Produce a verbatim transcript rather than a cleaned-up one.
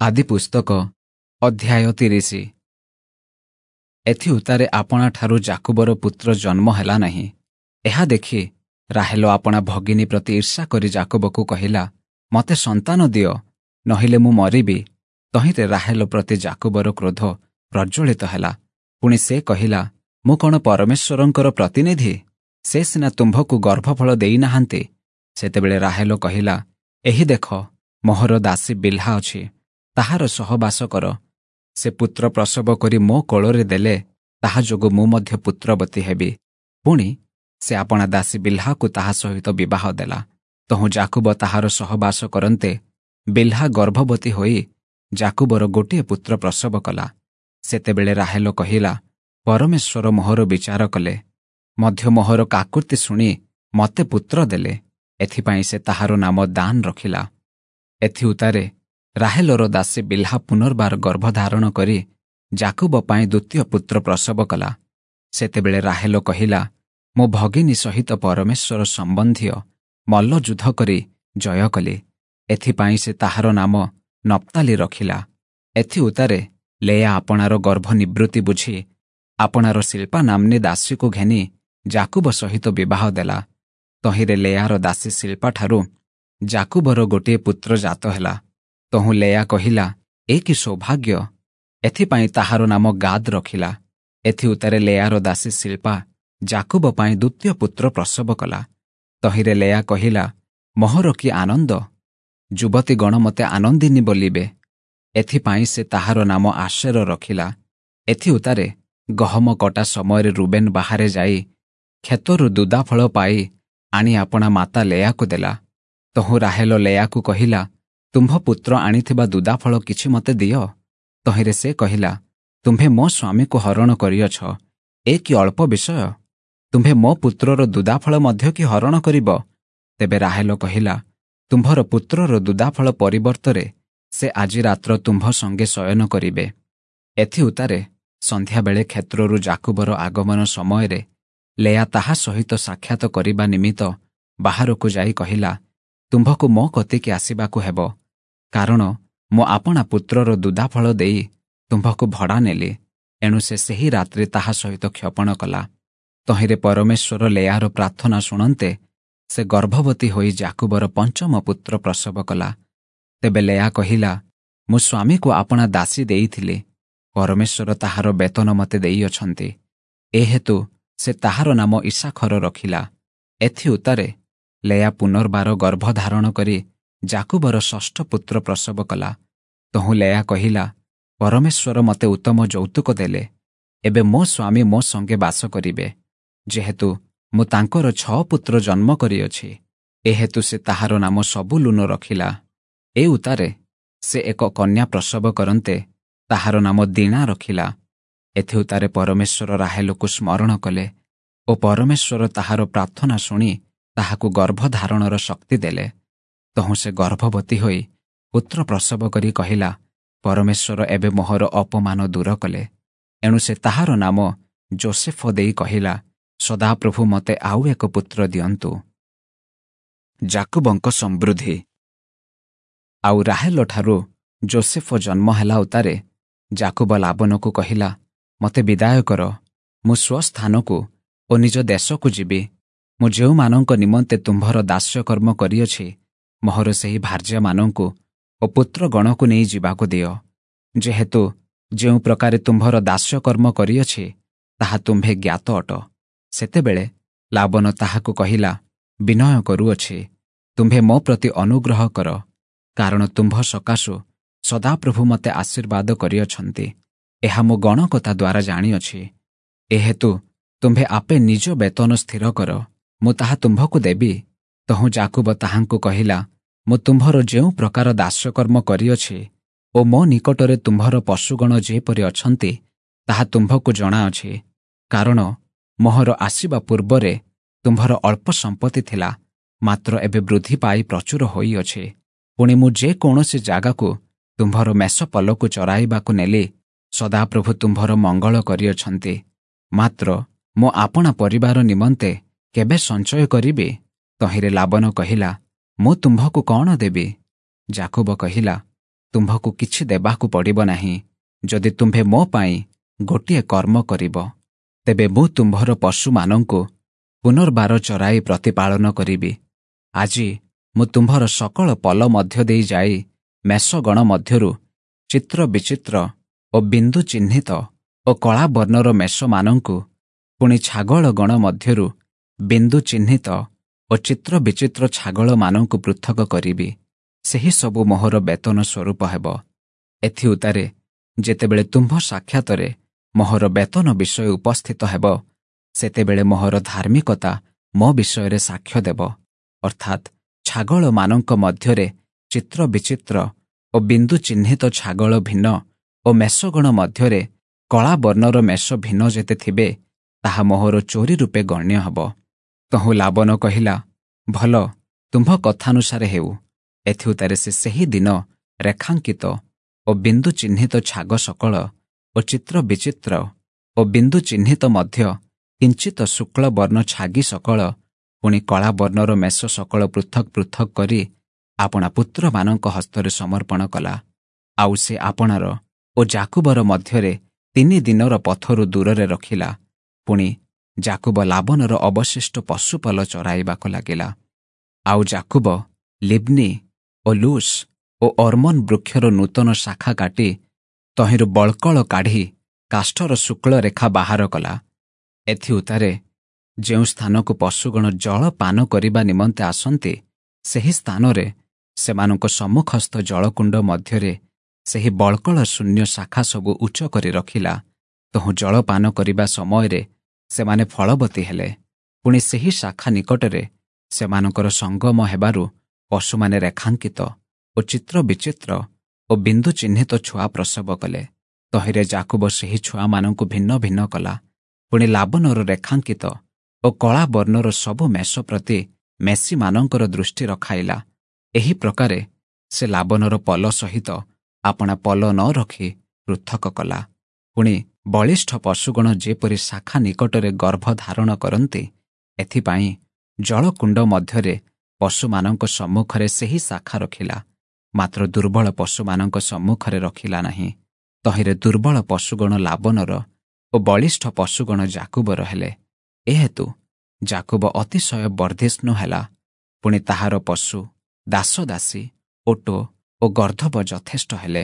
ଆଦିପୁସ୍ତକ ଅଧ୍ୟାୟ ତିରିଶ ଏଥିଉତ୍ତାରେ ଆପଣାଠାରୁ ଯାକୁବର ପୁତ୍ର ଜନ୍ମ ହେଲା ନାହିଁ। ଏହା ଦେଖି ରାହେଲ ଆପଣା ଭଗିନୀ ପ୍ରତି ଈର୍ଷା କରି ଯାକୁବକୁ କହିଲା, ମୋତେ ସନ୍ତାନ ଦିଅ, ନହିଲେ ମୁଁ ମରିବି। ତହିଁରେ ରାହେଲ ପ୍ରତି ଯାକୁବର କ୍ରୋଧ ପ୍ରଜ୍ୱଳିତ ହେଲା। ପୁଣି ସେ କହିଲା, ମୁଁ କ'ଣ ପରମେଶ୍ୱରଙ୍କର ପ୍ରତିନିଧି? ସେ ସିନା ତୁମ୍ଭକୁ ଗର୍ଭଫଳ ଦେଇନାହାନ୍ତି। ସେତେବେଳେ ରାହେଲ କହିଲା, ଏହି ଦେଖ, ମୋହର ଦାସୀ ବିଲ୍ହା ଅଛି, ତାହାର ସହବାସ କର। ସେ ପୁତ୍ର ପ୍ରସବ କରି ମୋ କୋଳରେ ଦେଲେ ତାହା ଯୋଗୁଁ ମୁଁ ମଧ୍ୟ ପୁତ୍ରବତୀ ହେବି। ପୁଣି ସେ ଆପଣା ଦାସୀ ବିଲ୍ହାକୁ ତାହା ସହିତ ବିବାହ ଦେଲା। ତହୁଁ ଯାକୁବ ତାହାର ସହବାସ କରନ୍ତେ ବିଲ୍ହା ଗର୍ଭବତୀ ହୋଇ ଯାକୁବର ଗୋଟିଏ ପୁତ୍ର ପ୍ରସବ କଲା। ସେତେବେଳେ ରାହେଲ କହିଲା, ପରମେଶ୍ୱର ମୋହର ବିଚାର କଲେ, ମଧ୍ୟ ମୋହର କାକୁତି ଶୁଣି ମୋତେ ପୁତ୍ର ଦେଲେ। ଏଥିପାଇଁ ସେ ତାହାର ନାମ ଦାନ ରଖିଲା। ଏଥିଉତ୍ତାରେ ରାହେଲର ଦାସୀ ବିଲ୍ହା ପୁନର୍ବାର ଗର୍ଭଧାରଣ କରି ଯାକୁବ ପାଇଁ ଦ୍ୱିତୀୟ ପୁତ୍ର ପ୍ରସବ କଲା। ସେତେବେଳେ ରାହେଲ କହିଲା, ମୋ ଭଗିନୀ ସହିତ ପରମେଶ୍ୱର ସମ୍ବନ୍ଧୀୟ ମଲ୍ଲଯୁଦ୍ଧ କରି ଜୟ କଲି। ଏଥିପାଇଁ ସେ ତାହାର ନାମ ନପ୍ତାଲି ରଖିଲା। ଏଥିଉତ୍ତାରେ ଲେୟା ଆପଣାର ଗର୍ଭ ନିବୃତ୍ତି ବୁଝି ଆପଣାର ଶିଳ୍ପା ନାମ୍ନୀ ଦାସୀକୁ ଘେନି ଯାକୁବ ସହିତ ବିବାହ ଦେଲା। ତହିଁରେ ଲେୟାର ଦାସୀ ଶିଳ୍ପାଠାରୁ ଯାକୁବର ଗୋଟିଏ ପୁତ୍ର ଜାତ ହେଲା। ତହୁଁ ଲେୟା କହିଲା, ଏ କି ସୌଭାଗ୍ୟ! ଏଥିପାଇଁ ତାହାର ନାମ ଗାଦ୍ ରଖିଲା। ଏଥିଉତ୍ତାରେ ଲେୟାର ଦାସୀ ଶିଳ୍ପା ଯାକୁବ ପାଇଁ ଦ୍ୱିତୀୟ ପୁତ୍ର ପ୍ରସବ କଲା। ତହିଁରେ ଲେୟା କହିଲା, ମୋହର କି ଆନନ୍ଦ! ଯୁବତୀଗଣ ମୋତେ ଆନନ୍ଦିନୀ ବୋଲିବେ। ଏଥିପାଇଁ ସେ ତାହାର ନାମ ଆଶେର ରଖିଲା। ଏଥିଉତ୍ତାରେ ଗହମ କଟା ସମୟରେ ରୁବେନ୍ ବାହାରେ ଯାଇ କ୍ଷେତରୁ ଦୁଦାଫଳ ପାଇ ଆଣି ଆପଣା ମାତା ଲେୟାକୁ ଦେଲା। ତହୁଁ ରାହେଲ ଲେୟାକୁ କହିଲା, ତୁମ୍ଭ ପୁତ୍ର ଆଣିଥିବା ଦୁଦାଫଳ କିଛି ମୋତେ ଦିଅ। ତହିଁରେ ସେ କହିଲା, ତୁମ୍ଭେ ମୋ ସ୍ୱାମୀକୁ ହରଣ କରିଅଛ, ଏ କି ଅଳ୍ପ ବିଷୟ? ତୁମ୍ଭେ ମୋ ପୁତ୍ରର ଦୁଦାଫଳ ମଧ୍ୟ କି ହରଣ କରିବ? ତେବେ ରାହେଲ କହିଲା, ତୁମ୍ଭର ପୁତ୍ରର ଦୁଦାଫଳ ପରିବର୍ତ୍ତରେ ସେ ଆଜି ରାତ୍ର ତୁମ୍ଭ ସଙ୍ଗେ ଶୟନ କରିବେ। ଏଥିଉତ୍ତାରେ ସନ୍ଧ୍ୟାବେଳେ କ୍ଷେତ୍ରରୁ ଯାକୁବର ଆଗମନ ସମୟରେ ଲେୟା ତାହା ସହିତ ସାକ୍ଷାତ କରିବା ନିମିତ୍ତ ବାହାରକୁ ଯାଇ କହିଲା, ତୁମ୍ଭକୁ ମୋ କତିକି ଆସିବାକୁ ହେବ, କାରଣ ମୁଁ ଆପଣା ପୁତ୍ରର ଦୁଦାଫଳ ଦେଇ ତୁମ୍ଭକୁ ଭଡ଼ା ନେଲି। ଏଣୁ ସେ ସେହି ରାତ୍ରି ତାହା ସହିତ କ୍ଷପଣ କଲା। ତହିଁରେ ପରମେଶ୍ୱର ଲେୟାର ପ୍ରାର୍ଥନା ଶୁଣନ୍ତେ ସେ ଗର୍ଭବତୀ ହୋଇ ଯାକୁବର ପଞ୍ଚମ ପୁତ୍ର ପ୍ରସବ କଲା। ତେବେ ଲେୟା କହିଲା, ମୁଁ ସ୍ୱାମୀକୁ ଆପଣା ଦାସୀ ଦେଇଥିଲି, ପରମେଶ୍ୱର ତାହାର ବେତନ ମୋତେ ଦେଇଅଛନ୍ତି। ଏ ହେତୁ ସେ ତାହାର ନାମ ଇସାଖର ରଖିଲା। ଏଥିଉତ୍ତାରେ ଲେୟା ପୁନର୍ବାର ଗର୍ଭଧାରଣ କରି ଯାକୁବର ଷଷ୍ଠ ପୁତ୍ର ପ୍ରସବ କଲା। ତହୁଁ ଲେୟା କହିଲା, ପରମେଶ୍ୱର ମୋତେ ଉତ୍ତମ ଯୌତୁକ ଦେଲେ, ଏବେ ମୋ ସ୍ୱାମୀ ମୋ ସଙ୍ଗେ ବାସ କରିବେ, ଯେହେତୁ ମୁଁ ତାଙ୍କର ଛଅ ପୁତ୍ର ଜନ୍ମ କରିଅଛି। ଏ ହେତୁ ସେ ତାହାର ନାମ ସବୁଲୁନ ରଖିଲା। ଏ ଉତ୍ତାରେ ସେ ଏକ କନ୍ୟା ପ୍ରସବ କରନ୍ତେ ତାହାର ନାମ ଦିଣା ରଖିଲା। ଏଥିଉତ୍ତାରେ ପରମେଶ୍ୱର ରାହେଲକୁ ସ୍ମରଣ କଲେ ଓ ପରମେଶ୍ୱର ତାହାର ପ୍ରାର୍ଥନା ଶୁଣି ତାହାକୁ ଗର୍ଭଧାରଣର ଶକ୍ତି ଦେଲେ। ତହୁଁ ସେ ଗର୍ଭବତୀ ହୋଇ ପୁତ୍ର ପ୍ରସବ କରି କହିଲା, ପରମେଶ୍ୱର ଏବେ ମୋହର ଅପମାନ ଦୂର କଲେ। ଏଣୁ ସେ ତାହାର ନାମ ଜୋସେଫ ଦେଇ କହିଲା, ସଦାପ୍ରଭୁ ମୋତେ ଆଉ ଏକ ପୁତ୍ର ଦିଅନ୍ତୁ। ଯାକୁବଙ୍କ ସମୃଦ୍ଧି। ଆଉ ରାହେଲଠାରୁ ଜୋସେଫ ଜନ୍ମ ହେଲା ଉତ୍ତାରେ ଯାକୁବ ଲାବନକୁ କହିଲା, ମୋତେ ବିଦାୟ କର, ମୁଁ ସ୍ୱସ୍ଥାନକୁ ଓ ନିଜ ଦେଶକୁ ଯିବି। ମୁଁ ଯେଉଁମାନଙ୍କ ନିମନ୍ତେ ତୁମ୍ଭର ଦାସ୍ୟକର୍ମ କରିଅଛି, ମୋହର ସେହି ଭାର୍ଯ୍ୟାମାନଙ୍କୁ ଓ ପୁତ୍ରଗଣକୁ ନେଇ ଯିବାକୁ ଦିଅ। ଯେହେତୁ ଯେଉଁ ପ୍ରକାରେ ତୁମ୍ଭର ଦାସ୍ୟକର୍ମ କରିଅଛି, ତାହା ତୁମ୍ଭେ ଜ୍ଞାତ ଅଟ। ସେତେବେଳେ ଲାବନ ତାହାକୁ କହିଲା, ବିନୟ କରୁଅଛି, ତୁମ୍ଭେ ମୋ ପ୍ରତି ଅନୁଗ୍ରହ କର, କାରଣ ତୁମ୍ଭ ସକାଶୁ ସଦାପ୍ରଭୁ ମୋତେ ଆଶୀର୍ବାଦ କରିଅଛନ୍ତି, ଏହା ମୁଁ ଗଣକତା ଦ୍ୱାରା ଜାଣିଅଛି। ଏହେତୁ ତୁମ୍ଭେ ଆପେ ନିଜ ବେତନ ସ୍ଥିର କର, ମୁଁ ତାହା ତୁମ୍ଭକୁ ଦେବି। ତହୁଁ ଯାକୁବ ତାହାଙ୍କୁ କହିଲା, ମୁଁ ତୁମ୍ଭର ଯେଉଁ ପ୍ରକାର ଦାସ୍ୟକର୍ମ କରିଅଛି ଓ ମୋ ନିକଟରେ ତୁମ୍ଭର ପଶୁଗଣ ଯେପରି ଅଛନ୍ତି, ତାହା ତୁମ୍ଭକୁ ଜଣାଅଛି। କାରଣ ମୋହର ଆସିବା ପୂର୍ବରେ ତୁମ୍ଭର ଅଳ୍ପ ସମ୍ପତ୍ତି ଥିଲା, ମାତ୍ର ଏବେ ବୃଦ୍ଧି ପାଇ ପ୍ରଚୁର ହୋଇଅଛି। ପୁଣି ମୁଁ ଯେକୌଣସି ଜାଗାକୁ ତୁମ୍ଭର ମେଷପଲକୁ ଚରାଇବାକୁ ନେଲି, ସଦାପ୍ରଭୁ ତୁମ୍ଭର ମଙ୍ଗଳ କରିଅଛନ୍ତି। ମାତ୍ର ମୁଁ ଆପଣା ପରିବାର ନିମନ୍ତେ କେବେ ସଞ୍ଚୟ କରିବି? ତହିଁରେ ଲାବନ କହିଲା, ମୁଁ ତୁମ୍ଭକୁ କ'ଣ ଦେବି? ଯାକୁବ କହିଲା, ତୁମ୍ଭକୁ କିଛି ଦେବାକୁ ପଡ଼ିବ ନାହିଁ, ଯଦି ତୁମ୍ଭେ ମୋ ପାଇଁ ଗୋଟିଏ କର୍ମ କରିବ। ତେବେ ମୁଁ ତୁମ୍ଭର ପଶୁମାନଙ୍କୁ ପୁନର୍ବାର ଚରାଇ ପ୍ରତିପାଳନ କରିବି। ଆଜି ମୁଁ ତୁମ୍ଭର ସକଳ ପଲ ମଧ୍ୟ ଦେଇ ଯାଇ ମେଷଗଣ ମଧ୍ୟରୁ ଚିତ୍ର ବିଚିତ୍ର ଓ ବିନ୍ଦୁ ଚିହ୍ନିତ ଓ କଳା ବର୍ଣ୍ଣର ମେଷମାନଙ୍କୁ, ପୁଣି ଛାଗଳଗଣ ମଧ୍ୟରୁ ବିନ୍ଦୁ ଚିହ୍ନିତ ଓ ଚିତ୍ର ବିଚିତ୍ର ଛାଗଳମାନଙ୍କୁ ପୃଥକ କରିବି। ସେହି ସବୁ ମୋହର ବେତନ ସ୍ୱରୂପ ହେବ। ଏଥିଉତ୍ତାରେ ଯେତେବେଳେ ତୁମ୍ଭ ସାକ୍ଷାତରେ ମୋହର ବେତନ ବିଷୟ ଉପସ୍ଥିତ ହେବ, ସେତେବେଳେ ମୋହର ଧାର୍ମିକତା ମୋ ବିଷୟରେ ସାକ୍ଷ୍ୟ ଦେବ, ଅର୍ଥାତ୍ ଛାଗଳମାନଙ୍କ ମଧ୍ୟରେ ଚିତ୍ର ବିଚିତ୍ର ଓ ବିନ୍ଦୁ ଚିହ୍ନିତ ଛାଗଳ ଭିନ୍ନ ଓ ମେଷଗଣ ମଧ୍ୟରେ କଳା ବର୍ଣ୍ଣର ମେଷ ଭିନ୍ନ ଯେତେ ଥିବେ, ତାହା ମୋହର ଚୋରି ରୂପେ ଗଣ୍ୟ ହେବ। ତହୁଁ ଲାବନ କହିଲା, ଭଲ, ତୁମ୍ଭ କଥାନୁସାରେ ହେଉ। ଏଥିଉତ୍ତାରେ ସେ ସେହି ଦିନ ରେଖାଙ୍କିତ ଓ ବିନ୍ଦୁ ଚିହ୍ନିତ ଛାଗ ସକଳ ଓ ଚିତ୍ର ବିଚିତ୍ର ଓ ବିନ୍ଦୁ ଚିହ୍ନିତ ମଧ୍ୟ କିଞ୍ଚିତ ଶୁକ୍ଳ ବର୍ଣ୍ଣ ଛାଗି ସକଳ, ପୁଣି କଳା ବର୍ଣ୍ଣର ମେଷ ସକଳ ପୃଥକ୍ ପୃଥକ୍ କରି ଆପଣା ପୁତ୍ରମାନଙ୍କ ହସ୍ତରେ ସମର୍ପଣ କଲା। ଆଉ ସେ ଆପଣାର ଓ ଯାକୁବର ମଧ୍ୟରେ ତିନି ଦିନର ପଥରୁ ଦୂରରେ ରଖିଲା। ପୁଣି ଯାକୁବ ଲାବନର ଅବଶିଷ୍ଟ ପଶୁପଲ ଚରାଇବାକୁ ଲାଗିଲା। ଆଉ ଯାକୁବ ଲିବ୍ନି ଓ ଲୁସ୍ ଓ ଅର୍ମନ ବୃକ୍ଷର ନୂତନ ଶାଖା କାଟି ତହିଁରୁ ବଳ୍କଳ କାଢ଼ି କାଷ୍ଠର ଶୁକ୍ଳ ରେଖା ବାହାର କଲା। ଏଥିଉତ୍ତାରେ ଯେଉଁ ସ୍ଥାନକୁ ପଶୁଗଣ ଜଳ ପାନ କରିବା ନିମନ୍ତେ ଆସନ୍ତି, ସେହି ସ୍ଥାନରେ ସେମାନଙ୍କ ସମ୍ମୁଖସ୍ଥ ଜଳକୁଣ୍ଡ ମଧ୍ୟରେ ସେହି ବଳ୍କଳ ଶୂନ୍ୟ ଶାଖା ସବୁ ଉଚ୍ଚ କରି ରଖିଲା। ତହୁଁ ଜଳପାନ କରିବା ସମୟରେ ସେମାନେ ଫଳବତୀ ହେଲେ। ପୁଣି ସେହି ଶାଖା ନିକଟରେ ସେମାନଙ୍କର ସଙ୍ଗମ ହେବାରୁ ପଶୁମାନେ ରେଖାଙ୍କିତ ଓ ଚିତ୍ର ବିଚିତ୍ର ଓ ବିନ୍ଦୁ ଚିହ୍ନିତ ଛୁଆ ପ୍ରସବ କଲେ। ତହିଁରେ ଯାକୁବ ସେହି ଛୁଆମାନଙ୍କୁ ଭିନ୍ନ ଭିନ୍ନ କଲା। ପୁଣି ଲାବନର ରେଖାଙ୍କିତ ଓ କଳା ବର୍ଣ୍ଣର ସବୁ ମେଷ ପ୍ରତି ମେଷୀମାନଙ୍କର ଦୃଷ୍ଟି ରଖାଇଲା। ଏହି ପ୍ରକାରେ ସେ ଲାବନର ପଲ ସହିତ ଆପଣା ପଲ ନ ରଖି ପୃଥକ କଲା। ପୁଣି ବଳିଷ୍ଠ ପଶୁଗଣ ଯେପରି ଶାଖା ନିକଟରେ ଗର୍ଭ ଧାରଣ କରନ୍ତି, ଏଥିପାଇଁ ଜଳକୁଣ୍ଡ ମଧ୍ୟରେ ପଶୁମାନଙ୍କ ସମ୍ମୁଖରେ ସେହି ଶାଖା ରଖିଲା, ମାତ୍ର ଦୁର୍ବଳ ପଶୁମାନଙ୍କ ସମ୍ମୁଖରେ ରଖିଲା ନାହିଁ। ତହିଁରେ ଦୁର୍ବଳ ପଶୁଗଣ ଲାବନର ଓ ବଳିଷ୍ଠ ପଶୁଗଣ ଯାକୁବର ହେଲେ। ଏହେତୁ ଯାକୁବ ଅତିଶୟ ବର୍ଦ୍ଧିଷ୍ଣୁ ହେଲା। ପୁଣି ତାହାର ପଶୁ, ଦାସଦାସୀ, ଓଟ ଓ ଗର୍ଦ୍ଧବ ଯଥେଷ୍ଟ ହେଲେ।